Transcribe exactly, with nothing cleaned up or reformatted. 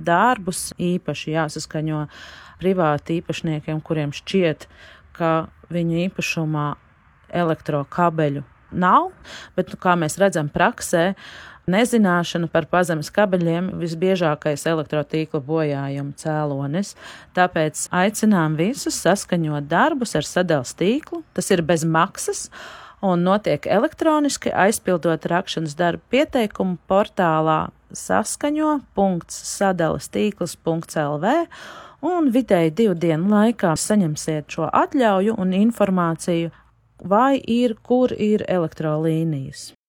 darbus īpaši jāsaskaņo privāti īpašniekiem, kuriem šķiet, ka viņu īpašumā elektrokabeļu nav, bet, kā mēs redzam praksē, nezināšana par pazemes kabeļiem visbiežākais elektrotīkla bojājuma cēlonis. Tāpēc aicinām visus saskaņot darbus ar sadales tīklu. Tas ir bez maksas un notiek elektroniski, aizpildot rakšanas darbu pieteikumu portālā saskaņo punkts sadales tīkls punkts el vē un vidēji divu dienu laikā saņemsiet šo atļauju un informāciju, vai ir, kur ir elektrolīnijas.